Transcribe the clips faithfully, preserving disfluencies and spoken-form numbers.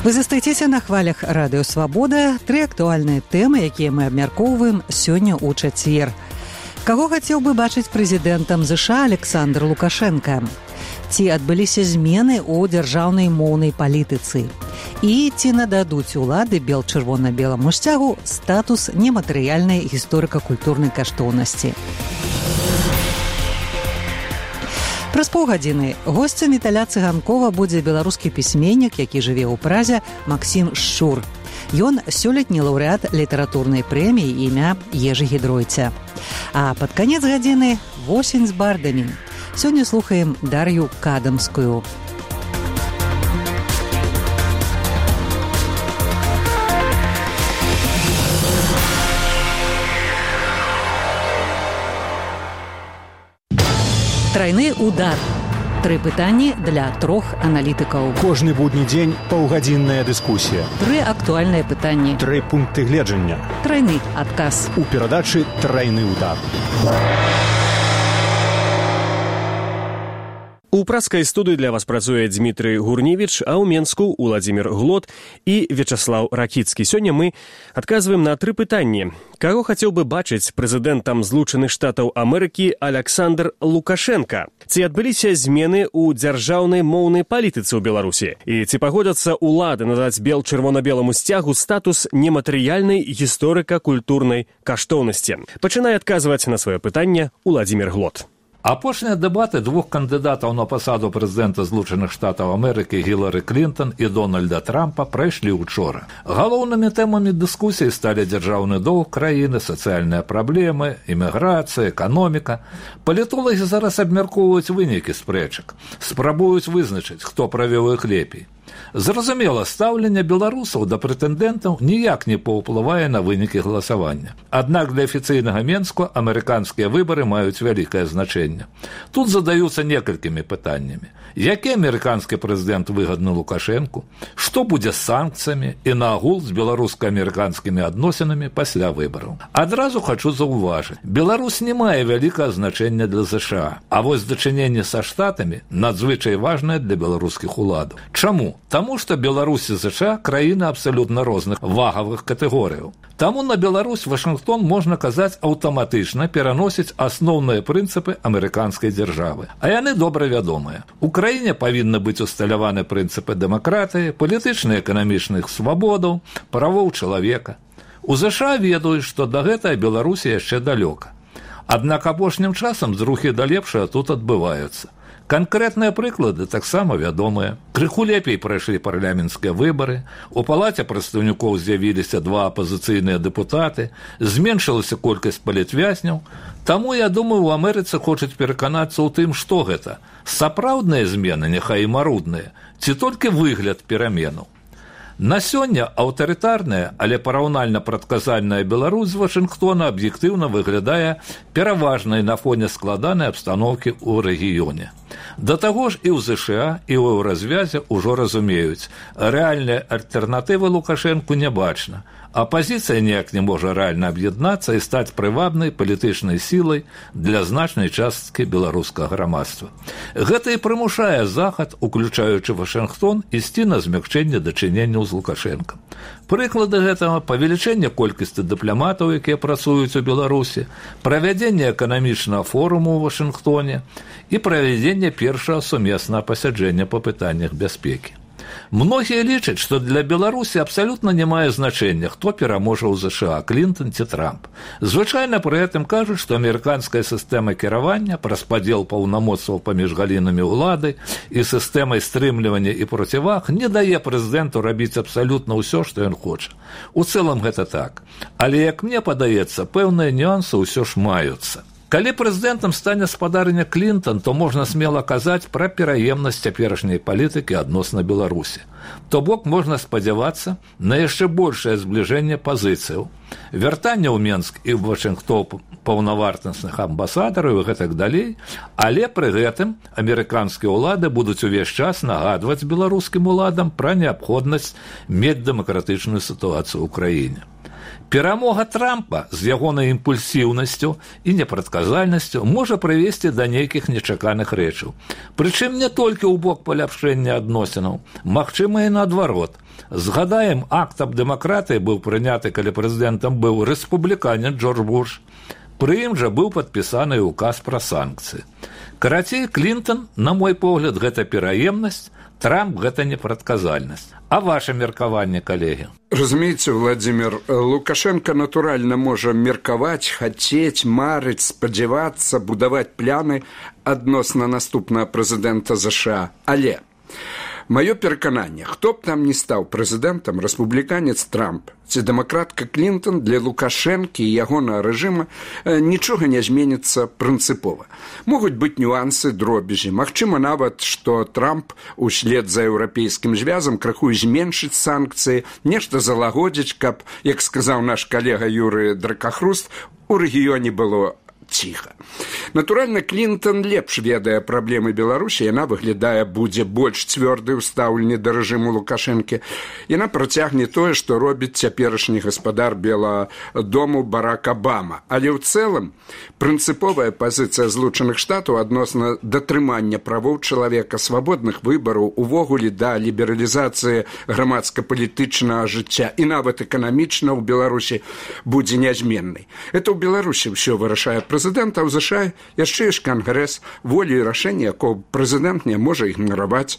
Вы застаецеся на хвалях радыё Свабода. Тры актуальныя тэмы, якія мы абмяркоўваем сёння ў чацвер. Каго хацеў бы бачыць прэзідэнтам ЗША Александр Лукашенко? Ці адбыліся змены ў дзяржаўнай моўнай палітыцы? І ці нададуць улады бел-чырвона-беламу сцягу статус нематэрыяльнай гісторыка-культурнай каштоўнасці? Праз паўгадзіны госцем Віталя Цыганкова будзе беларускі пісьменнік, які жыве ў Празе, Максім Шчур. Ён сёлетні лаўрэат літаратурнай прэміі імя Ежы Гідройця. А пад канец гадзіны восень з бардамі. Сёння слухаем Дар'ю Кадамскую. Трайны удар. Тры пытанні для трох аналітыкаў. Кожны будні дзень паўгадзінная дыскусія. Тры актуальныя пытанні. Тры пункты гледжання. Трайны адказ. У перадачы «Трайны удар». У праскай студыі для вас працуе Дмітрый Гурневіч, а ў Менску Уладзімір Глот і Вячаслаў Ракіцкі. Сёння мы адказваем на тры пытанні. Каго хацеў бы бачыць прэзідэнтам Злучаных Штатаў Амерыкі Александр Лукашенко? Ці адбыліся змены ў дзяржаўнай моўнай палітыцы ў Беларусі? І ці пагодзяцца улады надаць бел-чырвона-беламу сцягу статус нематэрыяльнай гісторыка-культурнай каштоўнасці? Пачынае адказваць на сваё пытанне Уладзімір Глот. Апошнія дэбаты двух кандыдатаў на пасаду прэзідэнта Злучаных Штатаў Амерыкі Гілары Клінтон і Дональда Трампа прайшлі ўчора. Галоўнымі тэмамі дыскусіі сталі дзяржаўны доўг краіны, сацыяльныя праблемы, іміграцыя, эканоміка. Палітолагі зараз абмяркоўваюць вынікі спрэчак, спрабуюць вызначыць, хто правёў іх лепей. Зразумела, стаўленне беларусаў да прэтэндэнтаў ніяк не паўплывае на вынікі галасавання. Аднак для афіцыйнага Менску амерыканскія выбары маюць вялікае значэнне. Тут задаюцца некалькімі пытаннямі. Які амерыканскі прэзідэнт выгадны Лукашэнку? Што будзе з санкцыямі і наогул з беларуска-амерыканскімі адносінамі пасля выбараў? Адразу хачу заўважыць, Беларусь не мае вялікае значэння для ЗША, а вось дачыненне са штатамі надзвычай важнае для беларускіх уладаў. Чаму? Таму што Беларусь і ЗША краіны абсалютна розных вагавых катэгорыяў. Таму на Беларусь Вашынгтон, можна казаць, аўтаматычна пераносіць асноўныя прынцыпы амерыканскай дзяржавы. А яны добра вядомыя. У краіне павінны быць усталяваны прынцыпы дэмакратыі, палітычных і эканамічных свабодаў, правоў чалавека. У ЗША ведаюць, што да гэтага Беларусі яшчэ далёка. Аднак апошнім часам зрухі да лепшага тут адбываюцца. Канкрэтныя прыклады таксама вядомыя. Крыху лепей прайшлі парламенцкія выбары, у палаце прадстаўнікоў з'явіліся два апазіцыйныя дэпутаты, зменшылася колькасць палітвязняў. Таму, я думаю, у Амерыцы хочуць пераканацца ў тым, што гэта. Сапраўдныя змены, няхай і марудныя, ці толькі выгляд пераменаў. На сёння аўтарытарная, але параўнальна прадказальная Беларусь з Вашынгтона аб'ектыўна выглядае пераважнай на фоне складанай абстаноўкі ў рэгіёне. Да таго ж і ў ЗША, і ў еўразвязе ўжо разумеюць, рэальнай альтэрнатывы Лукашэнку не бачна. Апазіцыя ніяк не можа рэальна аб'яднацца і стаць прывабнай палітычнай сілай для значнай часткі беларускага грамадства. Гэта і прымушае Захад, уключаючы Вашынгтон, ісці на змякчэнне дачыненняў з Лукашэнкам. Прыклады гэтага – павелічэнне колькасці дыпламатаў, якія працуюць у Беларусі, правядзенне эканамічнага форуму ў Вашынгтоне і правядзенне першага сумеснага пасяджэння па пытаннях бяспекі. Многія лічаць, што для Беларусі абсалютна не мае значэння, хто пераможа ў ЗША, Клінтон ці Трамп. Звычайна пры гэтым кажуць, што амерыканская сістэма кіравання, распадзел паўнамоцтваў паміж галінамі ўлады і сістэмай стрымлівання і проціваг не дае прэзідэнту рабіць абсалютна ўсё, што ён хоча. У цэлым гэта так. Але, як мне падаецца, пэўныя нюансы ўсё ж маюцца. Калі прэзідэнтам стане спадарня Клінтон, то можна смела казаць пра пераемнасць цяперашняй палітыкі адносна Беларусі. То бок можна спадзявацца на яшчэ большае збліжэнне пазіцыяў, вяртанне ў Менск і ў Вашынгтон паўнавартасных амбасадараў і гэтак далей, але пры гэтым амерыканскія ўлады будуць увесь час нагадваць беларускім уладам пра неабходнасць мець дэмакратычную сітуацыю ў краіне. Перамога Трампа з ягонай імпульсіўнасцю і непрадказальнасцю можа прывесці да нейкіх нечаканых рэчаў. Прычым не толькі ў бок паляпшэння адносінаў, магчыма і наадварот. Згадаем, акт аб дэмакратыі быў прыняты, калі прэзідэнтам быў рэспубліканец Джордж Буш. Пры ім жа быў падпісаны ўказ пра санкцыі. Карацей, Клінтон, на мой погляд, гэта пераемнасць, Трамп – гэта непрадказальнасць. А ваше меркаванне, калегі? Разумееце, Владимир, Лукашенко натуральна можа меркаваць, хацець, марыць, спадзявацца, будаваць пляны адносна наступнага прэзідэнта ЗША. Але маё перакананне, хто б там не стаў прэзідэнтам, рэспубліканец Трамп ці дэмакратка Клінтон, для Лукашэнкі і ягонага рэжыма нічога не зменіцца прынцыпова. Могуць быць нюансы, дробязі. Магчыма нават, што Трамп услед за еўрапейскім звязам крыху зменшыць санкцыі, нешта залагодзіць, каб, як сказаў наш калега Юрый Дракахруст, у рэгіёне было ціха. Натуральна, Клінтон лепш ведае праблемы Беларусі, яна выглядае будзе больш цвёрдай у стаўленні да рэжыму Лукашэнкі. Яна працягне тое, што робіць цяперашні гаспадар Белага дому Барак Абама. Але ў цэлым прынцыповая пазіцыя Злучаных Штатаў адносна датрымання правоў чалавека, свабодных выбараў, увогуле да лібералізацыі грамадска-палітычнага жыцця і нават эканамічна ў Беларусі будзе нязменнай. Это ў Беларусі ўсё вырашае прэзідэнт, а ў ЗША яшчэ ёсць кангрэс, волі і рашэння, якого прэзідэнт не можа ігнараваць.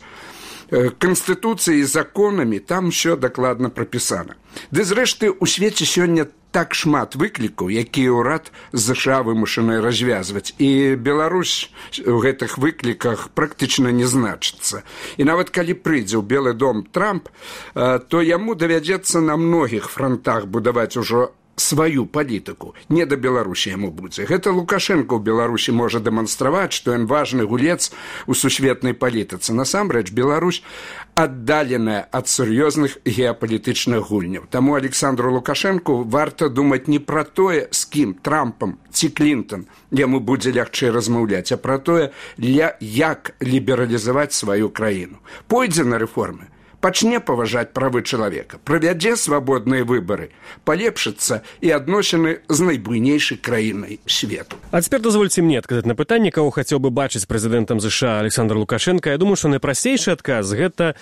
Канстытуцыяй і законамі там усё дакладна прапісана. Ды зрэшты, у свеце сёння так шмат выклікаў, якія ўрад ЗША вымушаны развязваць. І Беларусь у гэтых выкліках практычна не значыцца. І нават калі прыйдзе ў Белы дом Трамп, то яму давядзецца на многіх фронтах будаваць ужо сваю палітыку. Не да Беларусі яму будзе. Гэта Лукашенко ў Беларусі можа дэманстраваць, што ён важны гулец у сусветнай палітыцы. Насамрэч, Беларусь аддаленая ад сур'ёзных геапалітычных гульняў. Таму Александру Лукашенку варта думаць не пра тое, з кім, Трампам ці Клінтон, яму будзе лягчэй размаўляць, а пра тое, як лібералізаваць сваю краіну. Пойдзе на рэформы, пачне паважаць правы чалавека, правядзе свабодныя выбары, палепшыцца і адносіны з найбуйнейшай краінай свету. А цяпер дазвольце мне адказаць на пытанне, каго хацеў бы бачыць прэзідэнтам ЗША Александр Лукашенко. Я думаю, што найпрасцейшы адказ – гэта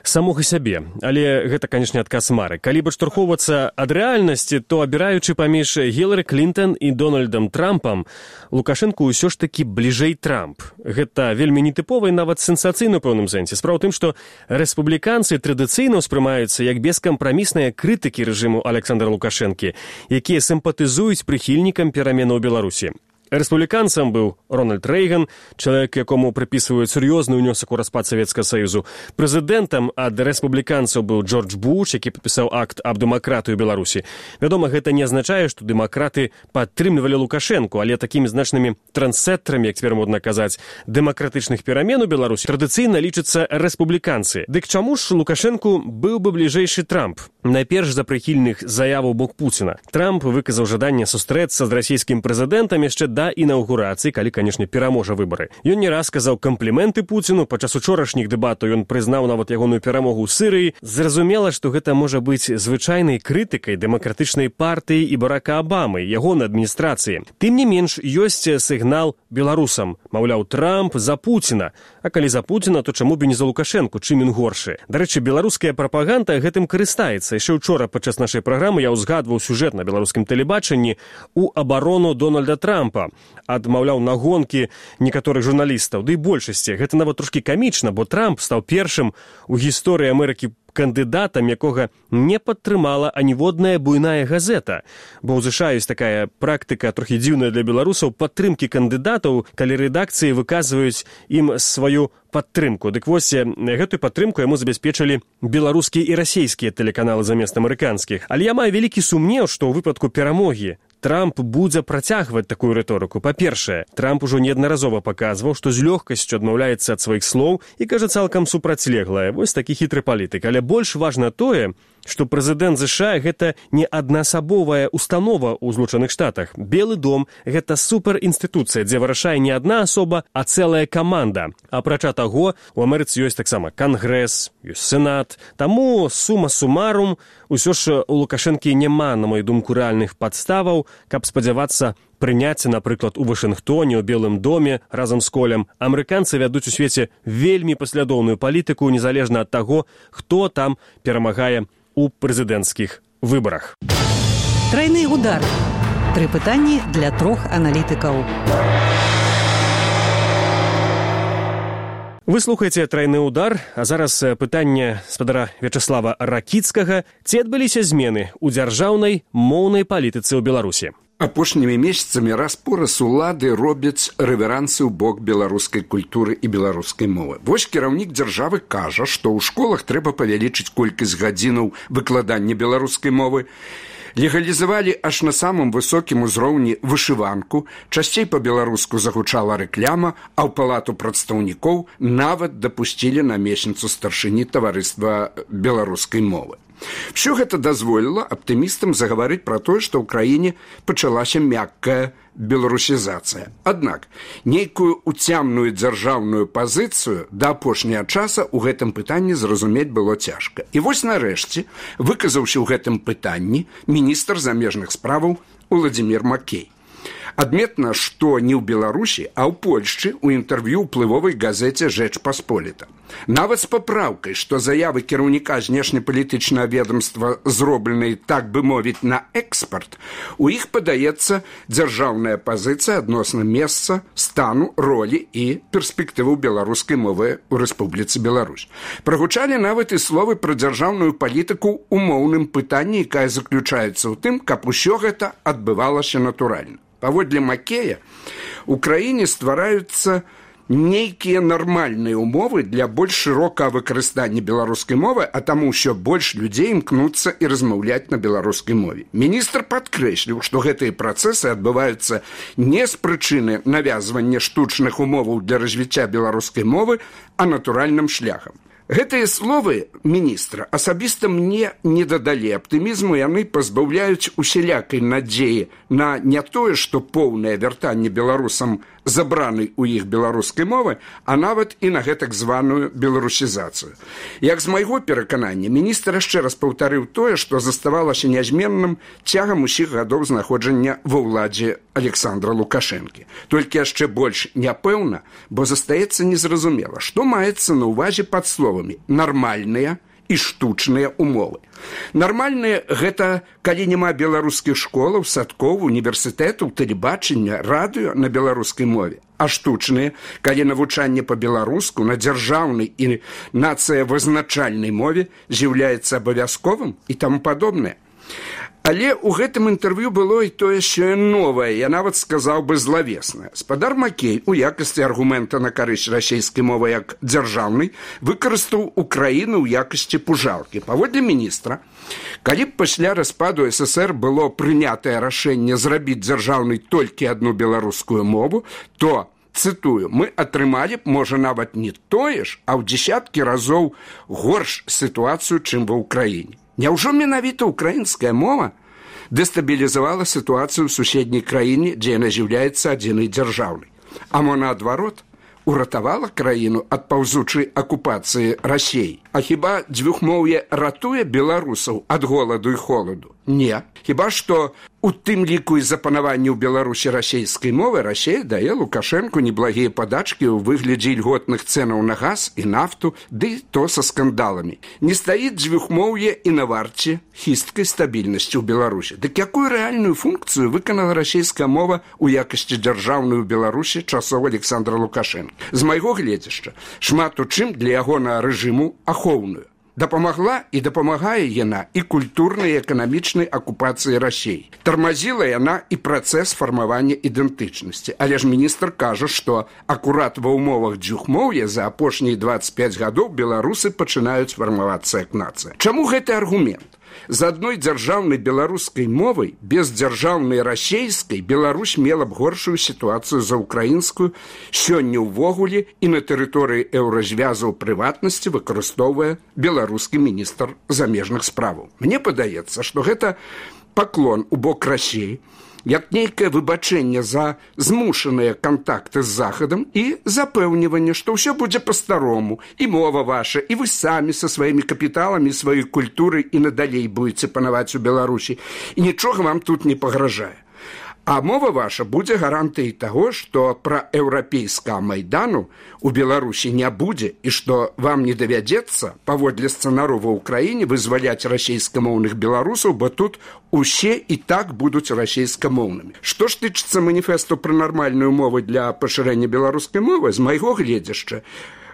самога сябе. Але гэта, канешне, адказ мары. Калі б адштурхоўвацца ад рэальнасці, то абіраючы паміж Гілары Клінтон і Дональдам Трампам, Лукашенко ўсё ж такі бліжэй Трамп. Гэта вельмі нетыпова і нават сенсацыйна ў пэўным сэнсе. Справа ў тым, што рэспубліканцы традыцыйна ўспрымаюцца як бескампрамісныя крытыкі рэжыму Александра Лукашэнкі, якія сімпатызуюць прыхільнікам пераменаў у Беларусі. Рэспубліканцам быў Рональд Рэйган, чалавек, якому прыпісваюць сур'ёзны ўнёсак у распад Савецкага Саюзу. Прэзідэнтам ад рэспубліканцаў быў Джордж Буш, які падпісаў акт аб дэмакратыі ў Беларусі. Вядома, гэта не азначае, што дэмакраты падтрымлівалі Лукашэнку, але такімі значнымі трансеттрамі, як цяпер модна казаць, дэмакратычных перамен у Беларусі традыцыйна лічацца рэспубліканцы. Дык чаму ж Лукашэнку быў бы бліжэйшы Трамп? Найперш за прыхільных заяваў бок Пуціна. Трамп выказаў жаданне сустрэцца з расійскім прэзідэнтам яшчэ да інаўгурацыі, калі, канешне, пераможа выбары. Ён не раз сказаў кампліменты Пуціну, падчас учорашніх дэбатаў ён прызнаў нават ягоную перамогу ў Сырыі. Зразумела, што гэта можа быць звычайнай крытыкай дэмакратычнай партыі і Барака Абамы, ягонай адміністрацыі. Тым не менш, ёсць сігнал беларусам. Маўляў, Трамп за Пуціна. А калі за Пуціна, то чаму б і не за Лукашэнку, чым ён горшы? Дарэчы, беларуская прапаганда гэтым карыстаецца. Яшчэ ўчора падчас нашай праграмы я ўзгадваў сюжэт на беларускім тэлебачанні у абарону Дональда Трампа ад, маўляў, нагонкі некаторых журналістаў. Ды і большасці. Гэта нават трошкі камічна, бо Трамп стаў першым у гісторыі Амерыкі кандыдатам, якога не падтрымала аніводная буйная газета. Бо ў ЗША ёсць такая практыка, трохі дзіўная для беларусаў, падтрымкі кандыдатаў, калі рэдакцыі выказваюць ім сваю падтрымку. Дык вось, гэтую падтрымку яму забяспечылі беларускія і расійскія тэлеканалы замест амерыканскіх. Але я маю вялікі сумнеў, што ў выпадку перамогі Трамп будзе працягваць такую рыторыку. Па-першае, Трамп ужо неаднаразова паказваў, што з лёгкасцю адмаўляецца ад сваіх слоў і кажа цалкам супрацьлеглае. Вось такі хітры палітык. Але больш важна тое, што прэзідэнт ЗША гэта не аднаасабовая установа ў Злучаных Штатах. Белы дом – гэта суперінстытуцыя, дзе вырашае не адна асоба, а цэлая каманда. Апрача таго, у Амерыцы ёсць таксама Кангрэс, ёсць Сенат. Таму сума сумарум, усё ж у Лукашэнкі няма, на мою думку, рэальных падставаў, каб спадзявацца прыняць, напрыклад, у Вашынгтоне, у Белым доме разам з Колем. Амерыканцы вядуць у свеце вельмі паслядоўную палітыку, незалежна ад таго, хто там перамагае у прэзідэнцкіх выбарах. Трайны удар. Тры пытанні для трох аналітыкаў. Вы слухаеце «Трайны удар», а зараз пытанне спадара Вячаслава Ракіцкага. Ці адбыліся змены ў дзяржаўнай моўнай палітыцы ў Беларусі? Апошнімі месяцамі раз-пораз улады робяць рэверансы ў бок беларускай культуры і беларускай мовы. Вось кіраўнік дзяржавы кажа, што ў школах трэба павялічыць колькасць гадзінаў выкладання беларускай мовы, легалізавалі аж на самым высокім узроўні вышыванку, часцей па-беларуску загучала рэкляма, а ў палату прадстаўнікоў нават дапусцілі намесніцу старшыні таварыства беларускай мовы. Все гэта дазволіла аптымістам загаварыць пра тое, што ў краіне пачалася мяккая беларусізацыя. Аднак, нейкую уцямную дзяржаўную пазіцыю да апошняга часа ў гэтым пытанні зразумець было цяжка. І вось нарэшце, выказаўся ў гэтым пытанні міністр замежных справаў Уладзімір Макей. Адметна, што не ў Беларусі, а ў Польшчы ў інтэрв'ю ўплывовай газеце «Жэч Пасполіта». Нават з папраўкай, што заявы кіраўніка знешнепалітычнага ведомства зробленыя, так бы мовіць, на экспарт, у іх падаецца дзяржаўная пазіцыя адносна месца, стану, ролі і перспектываў беларускай мовы ў Рэспубліцы Беларусь. Прагучалі нават і словы пра дзяржаўную палітыку ў моўным пытанні, якая заключаецца ў тым, каб усё гэта адбывалася натуральна. Паводле Макея, у краіне ствараюцца нейкія нармальныя умовы для больш шырокага выкарыстання беларускай мовы, а таму ўсё больш людзей імкнуцца і размаўляць на беларускай мове. Міністр падкрэсліў, што гэтыя працэсы адбываюцца не з прычыны навязвання штучных умоваў для развіцця беларускай мовы, а натуральным шляхам. Гэтыя словы міністра асабіста мне не дадалі аптымізму, яны пазбаўляюць усялякай надзеі на не тое, што поўнае вяртанне беларусам забранай у іх беларускай мовы, а нават і на гэтак званую беларусізацыю. Як з майго пераканання, міністр яшчэ раз паўтарыў тое, што заставалася нязменным цягам усіх гадоў знаходжання ва ўладзе Александра Лукашэнкі. Толькі яшчэ больш няпэўна, бо застаецца незразумела, што маецца на ўвазе пад словамі «нармальныя» і штучныя умовы. Нармальныя – гэта калі няма беларускіх школаў, садкоў, універсітэтаў, тэлебачання, радыё на беларускай мове. А штучныя – калі навучанне па-беларуску на дзяржаўнай і нацыявызначальнай мове з'яўляецца абавязковым і таму падобнае. Але ў гэтым інтэрв'ю было і тое, що новае, я нават сказаў бы злавеснае. Спадар Макей у якасці аргумента на карысць расійскай мовы як дзяржаўнай выкарыстаў Украіну ў якасці пужалкі. Паводле міністра, калі б пасля распаду ССР было прынятае рашэнне зрабіць дзяржаўнай толькі адну беларускую мову, то, цытую, мы атрымалі б, можа, нават не тое ж, а ў дзесяткі разоў горш сітуацыю, чым ва ўкраіне. Няўжо менавіта украінская мова дэстабілізавала сітуацыю ў суседняй краіне, дзе яна з'яўляецца адзінай дзяржаўнай? А мо наадварот, уратавала краіну ад паўзучай акупацыі Расіі? А хіба дзвюхмоўе ратуе беларусаў ад голаду і холаду? Не. Хіба што у тым ліку і запанаванні ў Беларусі расійскай мовы Расія дае Лукашэнку неблагія падачкі ў выглядзе ільготных цэнаў на газ і нафту, ды то са скандаламі. Не стаіць дзвюхмоўе і на варце хісткай стабільнасці ў Беларусі. Дык якую рэальную функцыю выканала расійская мова ў якасці дзяржаўнай у Беларусі часоў Александра Лукашэнка? З майго гледзяшча, шмат у чым для ягонага рэжыму ахоўную. Дапамагла і дапамагае яна і культурнай і эканамічнай акупацыі Расіі. Тармазіла яна і працэс фармавання ідэнтычнасці. Але ж міністр кажа, што акурат ва ўмовах дзвюхмоўя за апошнія дваццаць пяць гадоў беларусы пачынаюць фармавацца як нацыя. Чаму гэты аргумент? З адной дзяржаўнай беларускай мовай, без дзяржаўнай расейскай, Беларусь мела б горшую сітуацыю за украінскую, сёння ўвогуле і на тэрыторыі еўразвязу ў прыватнасці выкарыстоўвае беларускі міністр замежных справаў. Мне падаецца, што гэта паклон у бок Расіі, як нейкае выбачэнне за змушаныя кантакты з Захадам і запэўніванне, што ўсё будзе па-старому, і мова ваша, і вы самі са сваімі капіталамі, сваёй культурай і надалей будзеце панаваць у Беларусі, і нічога вам тут не пагражае. А мова ваша будзе гарантыяй таго, што пра еўрапейскага майдану у Беларусі не будзе і што вам не давядзецца, паводле сцэнару ва ўкраіне, вызваляць расейскамоўных беларусаў, бо тут усе і так будуць расейскамоўнымі. Што ж тычыцца маніфесту пра нармальную мову для пашырэння беларускай мовы, з майго гледзяшча,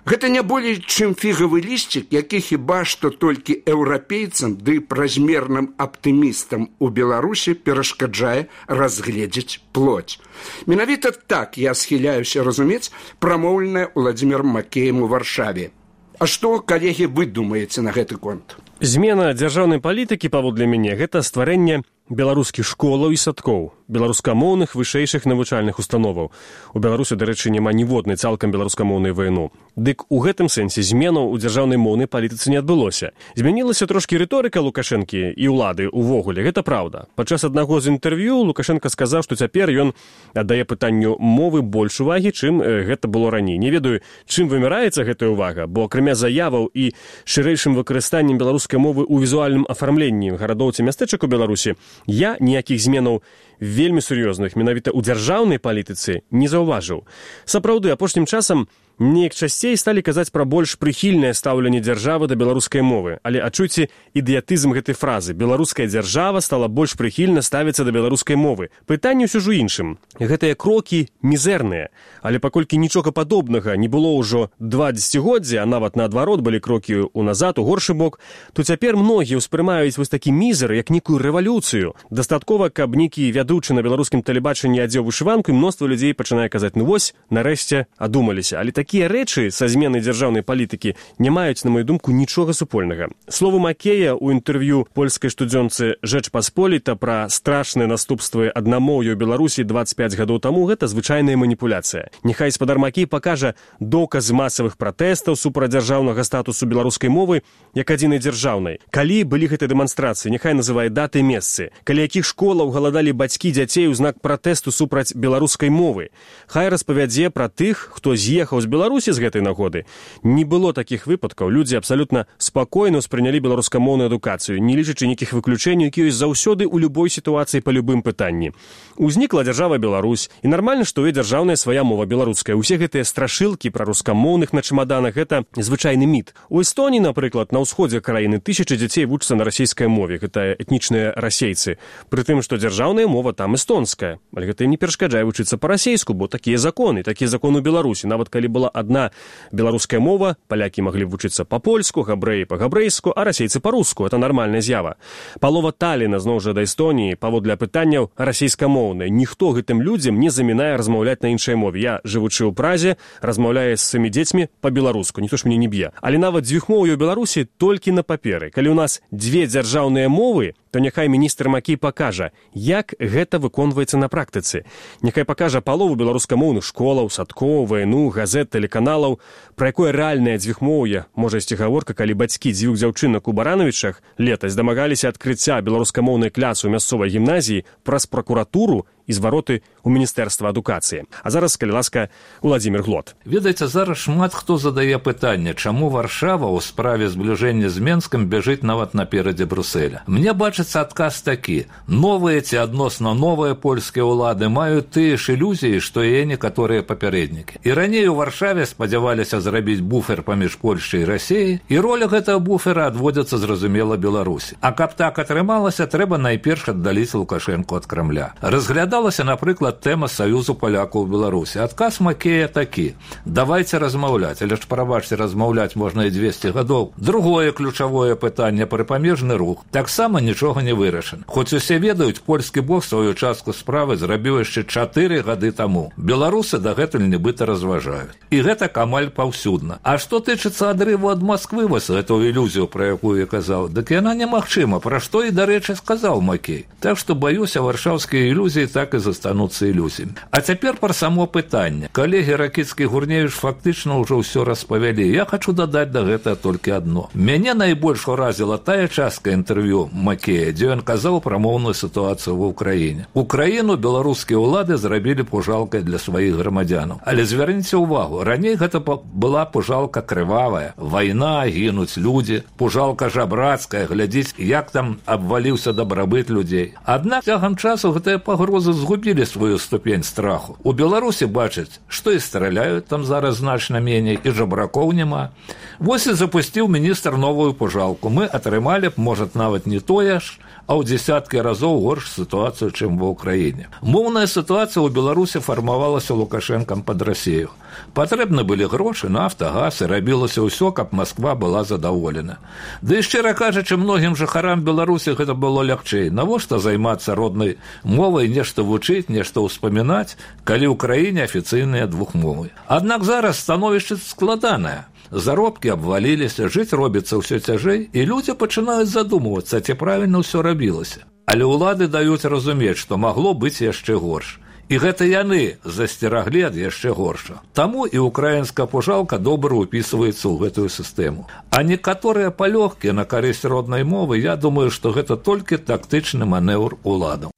гэта не болей, чым фігавы лісцік, які хіба што толькі еўрапейцам ды празмерным аптымістам у Беларусі перашкаджае разгледзець плоть. Менавіта так я схіляюся разумець прамоўленае Уладзімірам Макеем у Варшаве. А што, калегі, вы думаеце на гэты конт? Змена дзяржаўнай палітыкі, паводле мяне, гэта стварэнне беларускіх школаў і садкоў, беларускамоўных вышэйшых навучальных установаў. У Беларусі, дарэчы, няма ніводнай цалкам беларускамоўнай вайну. Дык у гэтым сэнсе зменаў у дзяржаўнай моўнай палітыцы не адбылося. Змянілася трошкі рыторыка Лукашэнкі і ўлады ўвогуле, гэта праўда. Падчас аднаго з інтэрв'ю Лукашенка сказаў, што цяпер ён аддае пытанню мовы больш увагі, чым гэта было раней. Не ведаю, чым вымяраецца гэтая ўвага, бо акрамя заяваў і шырэйшым выкарыстаннем беларускай мовы ў візуальным афармленні гарадоў ці мястэчак у Беларусі, я ніякіх зменаў вельмі сур'ёзных менавіта ў дзяржаўнай палітыцы не заўважыў. Сапраўды, апошнім часам неяк часцей сталі казаць пра больш прыхільнае стаўленне дзяржавы да беларускай мовы, але адчуйце ідыятызм гэтай фразы. Беларуская дзяржава стала больш прыхільна ставіцца да беларускай мовы. Пытанне ўсё ж у іншым. Гэтыя крокі мізэрныя, але паколькі нічога падобнага не было ўжо два дзесяцігоддзі, а нават наадварот былі крокі ў назад, у горшы бок, то цяпер многія ўспрымаюць вось такі мізер, як нейкую рэвалюцыю. Дастаткова, каб нейкі вядучы на беларускім тэлебачанні адзеў вышыванку, і мноства людзей пачынае казаць: ну вось, нарэшце адумаліся. Але такія рэчы са зменай дзяржаўнай палітыкі не маюць, на мою думку, нічога супольнага. Словы Макея ў інтэрв'ю польскай штодзёнцы «Жэч Пасполіта» пра страшныя наступствы аднамоўя ў Беларусі дваццаць пяць гадоў таму — гэта звычайная маніпуляцыя. Няхай спадар Макей пакажа доказы масавых пратэстаў супраць дзяржаўнага статусу беларускай мовы як адзінай дзяржаўнай. Калі былі гэтыя дэманстрацыі, няхай называе даты і месцы. Каля якіх школаў галадалі бацькі дзяцей у знак пратэсту супраць беларускай мовы. Хай распавядзе пра тых, хто з'ехаў з Беларусі з гэтай нагоды. Не было такіх выпадкаў. Людзі абсалютна спакойна ўспрынялі беларускамоўную адукацыю, не лічачы нейкіх выключэнняў, які ёсць заўсёды ў любой сітуацыі па любым пытанні. Узнікла дзяржава Беларусь, і нармальна, што ў ёй дзяржаўная свая мова беларуская. Усе гэтыя страшылкі пра рускамоўных на чамаданах — гэта звычайны міт. У Эстоніі, напрыклад, на ўсходзе краіны тысячы дзяцей вучацца на расейскай мове. Гэта этнічныя расейцы. Пры тым, што дзяржаўная мова там эстонская. Але гэта не перашкаджае вучыцца па-расейску, бо такія законы, такія законы ў Беларусі. Нават калі была адна беларуская мова, палякі маглі вучыцца па-польску, габрэі па-габрэйску, а расейцы па-руску. Это нармальная з'ява. Палова Талліна, зноў жа, да Эстоніі, паводле пытанняў расейскамоўныя. Ніхто гэтым людзям не замінае размаўляць на іншай мове. Я, жывучы ў Празе, размаўляю з сваімі дзецьмі па-беларуску. Ніхто ж мяне не б'е. Але нават дзвюхмоўе ў Беларусі толькі на паперы. Калі ў нас дзве дзяржаўныя мовы, то няхай міністр Макей пакажа, як гэта выконваецца на практыцы. Няхай пакажа палову беларускамоўных школаў, садкоў, вайну, газет, тэлеканалаў, пра якое рэальнае дзвюхмоўе можа ісці гаворка, калі бацькі дзвюх дзяўчынак у Баранавічах летась дамагаліся адкрыцця беларускамоўнай клясы ў мясцовай гімназіі праз пракуратуру і звароты ў Міністэрства адукацыі. А зараз, калі ласка, Уладзімір Глот. Ведаеце, зараз шмат хто задае пытанне, чаму Варшава ў справе збліжэння з Менскам бяжыць нават наперадзе Брюсселя. Мне бачыцца адказ такі: новыя ці адносна новыя польскія ўлады маюць тыя ж ілюзіі, што і некаторыя папярэднікі. І раней у Варшаве спадзяваліся зрабіць буфер паміж Польшай і Расіяй, і роля гэтага буфера адводзіцца, зразумела, Беларусі. А каб так атрымалася, трэба найперш аддаліць Лукашэнку ад Крамля. Разглядаць Паднімалася, напрыклад, тэма Саюзу палякаў у Беларусі. Адказ Макея такі: давайте размаўляць, але ж, прабачце, размаўляць можна і дзвесце гадоў. Другое ключавое пытанне — прыпамежны рух. Таксама нічога не вырашана. Хоць усе ведаюць, польскі бок сваю частку справы зрабіў яшчэ чатыры гады таму. Беларусы дагэтуль нібыта разважаюць. І гэта амаль паўсюдна. А што тычыцца адрыву ад Масквы, вось гэтую ілюзію, пра якую я казаў, дык яна немагчыма, пра што і, дарэчы, сказаў Макей. Так што, баюся, варшаўскія ілюзіі так і застануцца ілюзіямі. А цяпер пра само пытанне. Калегі Ракіцкі, Гурневіч фактычна ўжо ўсё распавялі. Я хачу дадаць да гэтага толькі адно. Мяне найбольш уразіла тая частка інтэрв'ю Макея, дзе ён казаў пра моўную сітуацыю ва ўкраіне. Украіну беларускія ўлады зрабілі пужалкай для сваіх грамадзянаў. Але звярніце ўвагу, раней гэта была пужалка крывавая, вайна, гінуць людзі, пужалка жабрацкая, глядзіць, як там абваліўся дабрабыт людзей. Аднак цягам часу гэтыя пагрозы згубілі сваю ступень страху. У Беларусі бачаць, што і страляюць там зараз значна меней, і жабракоў няма. Вось і запусціў міністр новую пужалку. Мы атрымалі б, можа, нават не тое ж, а ў дзесяткі разоў горш сітуацыю, чым ва ўкраіне. Моўная сітуацыя ў Беларусі фармавалася Лукашэнкам пад Расію. Патрэбны былі грошы, нафта, газ, і рабілася ўсё, каб Масква была задаволена. Ды і, шчыра кажучы, многім жыхарам Беларусі гэта было лягчэй. Навошта займацца роднай мовай, нешта вучыць, нешта ўспамінаць, калі ў краіне афіцыйныя двухмовы. Аднак зараз становішча складанае. Заробкі абваліліся, жыць робіцца ўсё цяжэй, і людзі пачынаюць задумвацца, ці правільна ўсё рабілася. Але ўлады даюць разумець, што магло быць яшчэ горш. І гэта яны засцераглі ад яшчэ горша. Таму і украінская пужалка добра ўпісваецца ў гэтую сістэму. А некаторыя палёгкі на карысць роднай мовы, я думаю, што гэта толькі тактычны манеўр уладаў.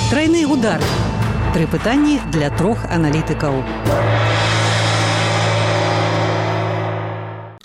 Трайны удар. Тры пытанні для трох аналітыкаў.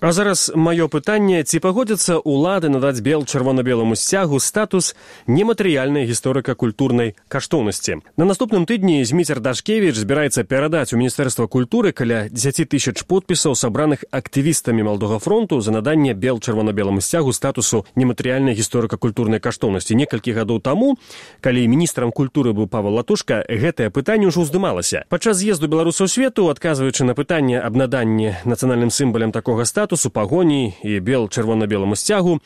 А зараз маё пытанне: ці пагодзяцца ўлады надаць бел-чырвона-беламу сцягу статус нематэрыяльнай гісторыка-культурнай каштоўнасці? На наступным тыдні Зміцер Дашкевіч збіраецца перадаць у Міністэрства культуры каля дзесяці тысяч подпісаў, сабраных актывістамі Малдога фронту, за наданне бел-чырвона-беламу сцягу статусу нематэрыяльнай гісторыка-культурнай каштоўнасці. Некалькі гадоў таму, калі міністрам культуры быў Павел Латушка, гэтае пытанне ўжо ўздымалася. Падчас з'езду беларусаў свету, адказваючы на пытанне аб наданні нацыянальным сімвалам такога статусу, у пагоні і бел-чырвона-беламу сцягу,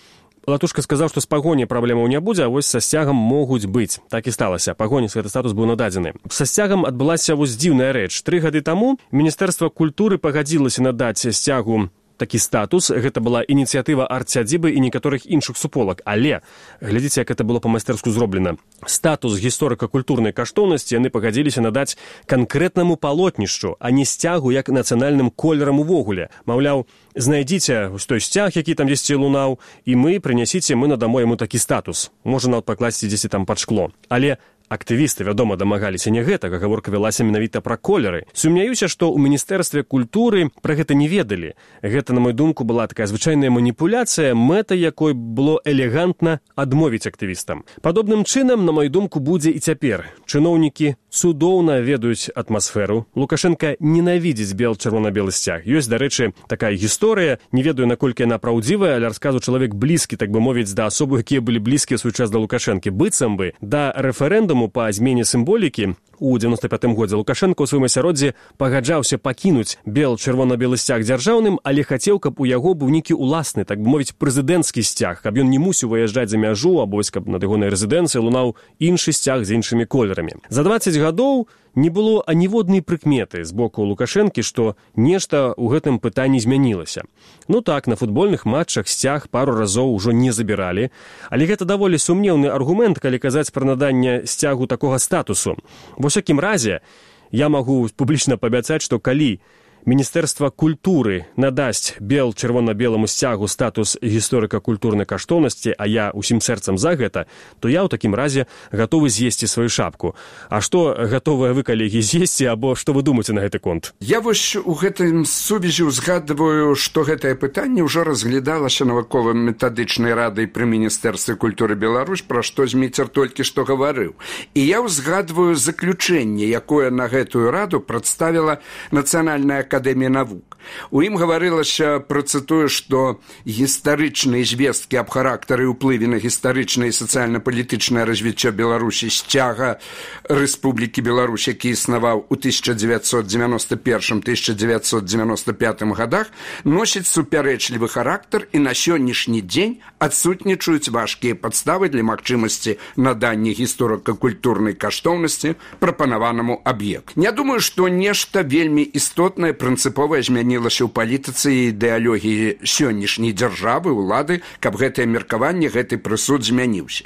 Латушка сказаў, што з пагоні праблемаў не будзе, а вось са сцягам могуць быць. Так і сталася. Пагоні гэты статус быў нададзены. Са сцягам адбылася вось дзіўная рэч. Тры гады таму Міністэрства культуры пагадзілася надаць сцягу такі статус. Гэта была ініцыятыва арт-сядзібы і некаторых іншых суполак. Але глядзіце, як гэта было па-майстэрску зроблена. Статус гісторыка-культурнай каштоўнасці яны пагадзіліся надаць канкрэтнаму палотнішчу, а не сцягу як нацыянальным колерам увогуле. Маўляў, знайдзіце той сцяг, які там дзесьці лунаў, і мы прынясіце, мы надамо яму такі статус. Можа нават пакласці дзесьці там пад шкло. Але актывісты, вядома, дамагаліся не гэтага, гаворка вялася менавіта пра колеры. Сумняюся, што ў Міністэрстве культуры пра гэта не ведалі. Гэта, на мою думку, была такая звычайная маніпуляцыя, мэта якой было элегантна адмовіць актывістам. Падобным чынам, на мою думку, будзе і цяпер. Чыноўнікі цудоўна ведаюць атмасферу. Лукашенка ненавідзіць бел-чырвона-белы сцяг. Ёсць, дарэчы, такая гісторыя, не ведаю, наколькі яна праўдзівая, але расказу чалавек блізкі, так бы мовіць, да асобы, якія былі блізкія свой час да Лукашэнкі. Быццам бы да рэферэндуму па змене сімволікі у дзевяноста пятым годзе Лукашенко ў сваім асяроддзі пагаджаўся пакінуць бел-чырвона-белы сцяг дзяржаўным, але хацеў, каб у яго быў нейкі уласны, так бы мовіць, прэзідэнцкі сцяг, каб ён не мусіў выязджаць за мяжу, або каб над ягонай рэзідэнцыяй лунаў іншы сцяг з іншымі колерамі. За дваццаць гадоў не было аніводнай прыкметы з боку Лукашэнкі, што нешта ў гэтым пытанні змянілася. Ну так, на футбольных матчах сцяг пару разоў ужо не забіралі, але гэта даволі сумнеўны аргумент, калі казаць пра наданне сцягу такога статусу. Ва ўсякім разе, я магу публічна паабяцаць, што калі Міністэрства культуры надасць бел-чырвона-беламу сцягу статус гісторыка-культурнай каштоўнасці, а я усім сэрцам за гэта, то я ў такім разе гатовы з'есці сваю шапку. А што гатовыя вы, калегі, з'есці, або што вы думаеце на гэты конт? Я вось у гэтым сувязі узгадваю, што гэтае пытанне ўжо разглядалася навукова-метадычнай радай пры Міністэрстве культуры Беларусь, пра што Зміцер толькі што гаварыў. І я ўзгадваю заключэнне, якое на гэтую раду прадставіла Нацыянальная акадэмія навук. У ім гаварылася, працытую, што гістарычныя звесткі аб характары і ўплыве на гістарычнае і сацыяльна-палітычнае развіццё Беларусі сцяга Рэспублікі Беларусь, які існаваў у тысяча дзевяцьсот дзевяноста першым — тысяча дзевяцьсот дзевяноста пятым годах, носіць супярэчлівы характар і на сённяшні дзень адсутнічаюць важкія падставы для магчымасці надання гісторыка-культурнай каштоўнасці прапанаванаму аб'екту. Не думаю, што нешта вельмі істотнае прынцыповае змянілася ў палітыцы і ідэалогіі сённяшняй дзяржавы, улады, каб гэтае меркаванне, гэты прысуд змяніўся.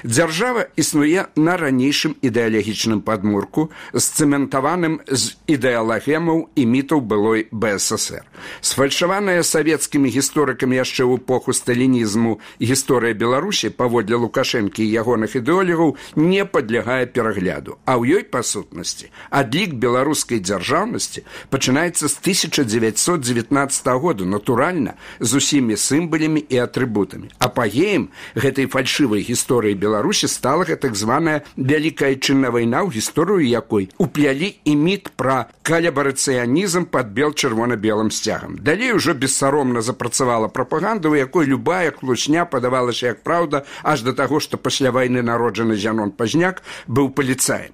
Дзяржава існуе на ранейшым ідэалагічным падмурку, сцэментаваным з ідэалагемаў і мітаў былой бэ эс эс эр. Сфальшаваная савецкімі гісторыкамі яшчэ ў эпоху сталінізму гісторыя Беларусі, паводле Лукашэнкі і ягоных ідэолагаў, не падлягае перагляду, а ў ёй, па сутнасці, адлік беларускай дзяржаўнасці пачынаецца з тысяча дзевяцьсот дзевятнаццатага года, натуральна, з усімі сімвалямі і атрыбутамі. Апагеем гэтай фальшывай гісторыі Беларусі стала так званая Вялікая Адчынная вайна, ў гісторыю якой уплялі і міт пра калябарацыянізм пад бел-чырвона-белым сцягам. Далей ужо бессаромна запрацавала прапаганда, у якой любая клучня падавалася як праўда, аж да таго, што пасля вайны народжаны Зянон Пазняк быў паліцаем.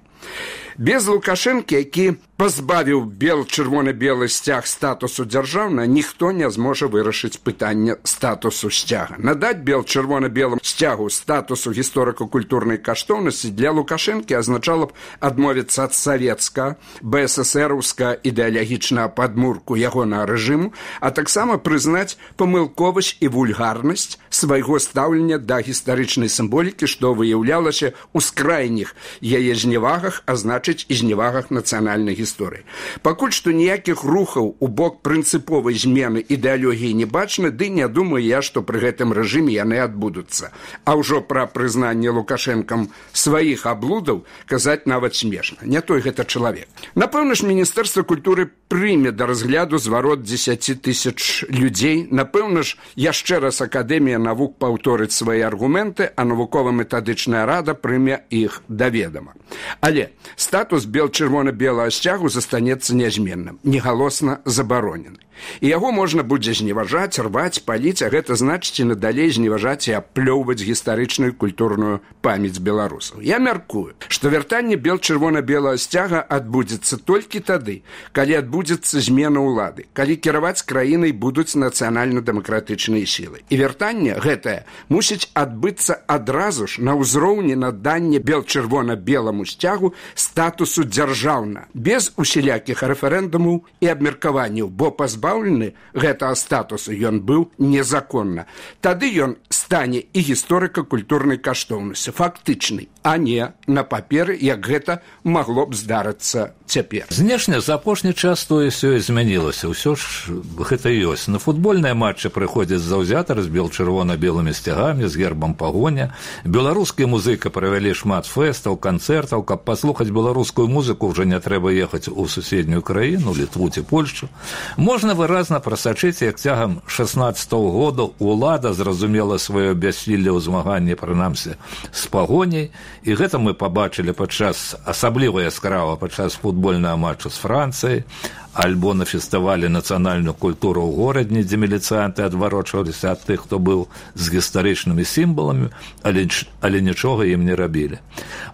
Без Лукашэнкі, які пазбавіў бел-чырвона-белы сцяг статусу дзяржаўна, ніхто не зможа вырашыць пытанне статусу сцяга. Надаць бел-чырвона-белым сцягу статусу гісторыка-культурнай каштоўнасці для Лукашэнкі азначала б адмовіцца ад савецка, бэ эс эс эраўска ідэалагічнага падмурку ягонага рэжыму, а таксама прызнаць памылковасць і вульгарнасць свайго стаўлення да гістарычнай сімволікі, што выяўлялася ў скрайніх яе зневагах, а значыць і зневагах нацыянальнай гісторыі. Пакуль што ніякіх рухаў у бок прынцыповай змены ідэалогіі не бачна, ды не думаю я, што пры гэтым рэжыме яны адбудуцца. А ўжо пра прызнанне Лукашэнкам сваіх аблудаў казаць нават смешна. Не той гэта чалавек. Напэўна ж, Міністэрства культуры прыме да разгляду зварот дзесяці тысяч людзей. Напэўна ж, яшчэ раз Акадэмія навук паўторыць свае аргументы, а навукова-метадычная рада прыме іх да ведама. Але статус бел-чырвона-белага сцягу застанецца нязменным, негалосна забаронены. І яго можна будзе зневажаць, рваць, паліць, а гэта значыць і надалей зневажаць і аплёўваць гістарычную культурную памяць беларусаў. Я мяркую, што вяртанне бел-чырвона-белага сцяга адбудзецца толькі тады, калі адбудзецца змена ўлады, калі кіраваць краінай будуць нацыянальна-дэмакратычныя сілы. І вяртанне гэтае мусіць адбыцца адразу ж на ўзроўні надання бел-чырвона-беламу сцягу статусу дзяржаўна, без усялякіх рэферэндумаў і абмеркаванняў, бо пазбаўлены гэтага статусу ён быў незаконна. Тады ён стане і гісторыка-культурнай каштоўнасці, фактычнай, а не на паперы, як гэта магло б здарыцца цяпер. Знешне за апошні час тое сёе змянілася, ўсё ж гэта ёсць. На футбольныя матчы прыходзяць заўзятары з бел-чырвона-белымі сцягамі, з гербам пагоня. Беларускія музыка правялі шмат фэстаў, канцэртаў. Каб паслухаць беларускую музыку, ўжо не трэба ехаць у суседнюю краіну, Літву ці Польшчу. Можна выразна прасачыць, як цягам шаснаццатага года ўлада зразумела сваё бяссілле ў змаганні, прынамсі, з пагоняй, і гэта мы пабачылі падчас, асабліва яскрава падчас футбольнага матчу з Францыяй, альбо на фестывалі нацыянальную культуру ў горадні, дзе міліцыянты адварочваліся ад тых, хто быў з гістарычнымі сімваламі, але, але нічога ім не рабілі.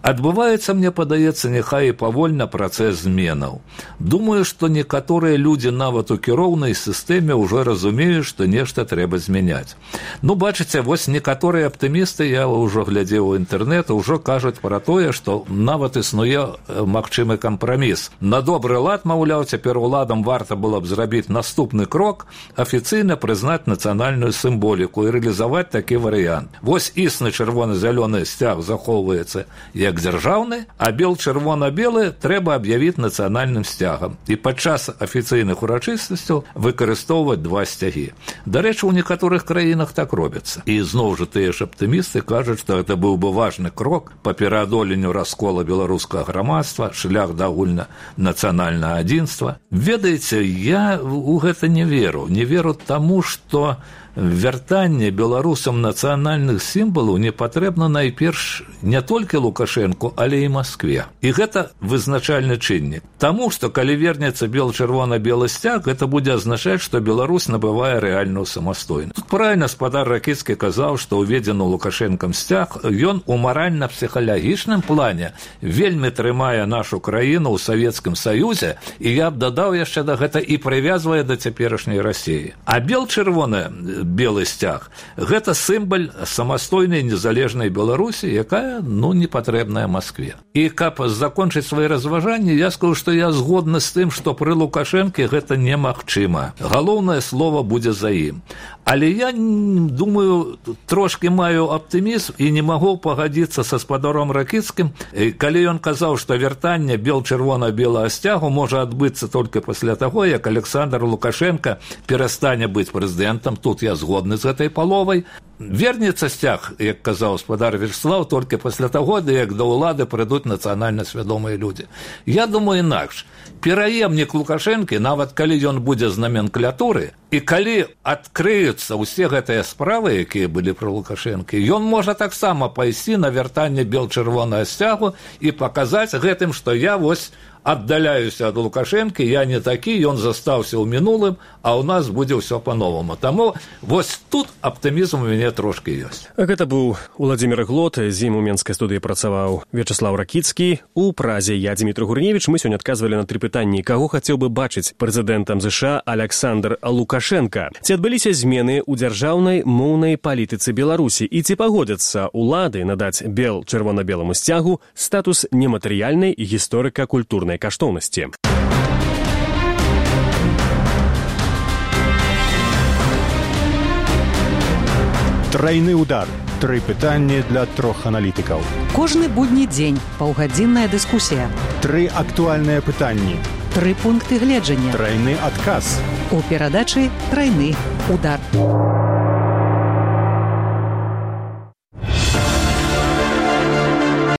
Адбываецца, мне падаецца, няхай і павольна працэс зменаў. Думаю, што некаторыя людзі нават у кіроўнай сістэме ўжо разумеюць, што нешта трэба змяняць. Ну, бачыце, вось некаторыя аптымісты, я ўжо глядзеў у інтэрнэт, ўжо кажуць пра тое, што нават існуе магчымы кампраміс. На добры лад, маўляў, цяпер уладам варта было б зрабіць наступны крок, афіцыйна прызнаць нацыянальную сімволіку і рэалізаваць такі варыянт. Вось існы чырвона-зялёны сцяг захоўваецца як дзяржаўны, а бел-чырвона-белы трэба аб'явіць нацыянальным сцягам і падчас афіцыйных урачыстасцяў выкарыстоўваць два сцягі. Дарэчы, у некаторых краінах так робіцца. І зноў жа тыя ж аптымісты кажуць, што гэта быў бы важны крок па пераадоленню раскола беларускага грамадства, шлях да агульнанацыянальнага адзінства. Ведаеце, я ў гэта не веру. Не веру таму, што вяртанне беларусам нацыянальных сімвалаў не патрэбна найперш не толькі Лукашэнку, але і Маскве. І гэта вызначальны чыннік. Таму, што калі вернецца бел-чырвона-белы сцяг, гэта будзе азначаць, што Беларусь набывае рэальную самастойнасць. Тут правільна спадар Ракіцкі казаў, што уведзены Лукашэнкам сцяг, ён у маральна-псіхалагічным плане вельмі трымае нашу краіну ў Савецкім Саюзе, і я б дадаў яшчэ да гэта і прывязвае да цяперашняй Расіі. А бел-чырвоны белы сцяг – гэта сімвал самастойнай незалежнай Беларусі, якая, ну, не патрэбная Маскве. І каб закончыць свае разважанні, я скажу, што я згодны з тым, што пры Лукашэнке гэта немагчыма. Галоўнае слова будзе за ім. Але я думаю, трошки маю аптымізм і не магу пагадзіцца са спадаром Ракіцкім, калі ён казаў, што вяртанне бел-чырвона-белага сцягу можа адбыцца толькі пасля таго, як Александр Лукашенко перастане быць прэзідэнтам. Тут я згодны з гэтай паловай. Вернецца сцяг, як казаў спадар Вячеслав, толькі пасля таго, як да ўлады прыйдуць нацыянальна свядомыя людзі. Я думаю інакш. Пераемнік Лукашэнкі, нават калі ён будзе з наменклатуры, і калі адкрыюцца ўсе гэтыя справы, якія былі пры Лукашэнкі, ён можа таксама пайсці на вяртанне бел-чырвонага сцягу і паказаць гэтым, што я вось аддаляюся ад Лукашэнкі, я не такі, ён застаўся ў мінулым, а ў нас будзе ўсё па-новаму. Таму вось тут аптымізм у мяне трошки ёсць. Гэта быў Уладзімір Глот, з ім у менскай студыі працаваў Вячеслав Ракіцкі. У празе я, Дмітрий Гурневіч, мы сёння адказвалі на тры пытанні. Каго хацеў бы бачыць прэзідэнтам ЗША Александр Лукашенко? Ці адбыліся змены ў дзяржаўнай моўнай палітыцы Беларусі? І ці пагодзяцца улады надаць бел-чырвона-беламу сцягу статус нематэрыяльнай гісторыка-культурнай каштоўнасці? Трайны удар. Тры пытанні для трох аналітыкаў. Кожны будні дзень паўгадзінная дыскусія. Тры актуальныя пытанні. Тры пункты гледжання. Трайны адказ. У перадачы «Трайны удар».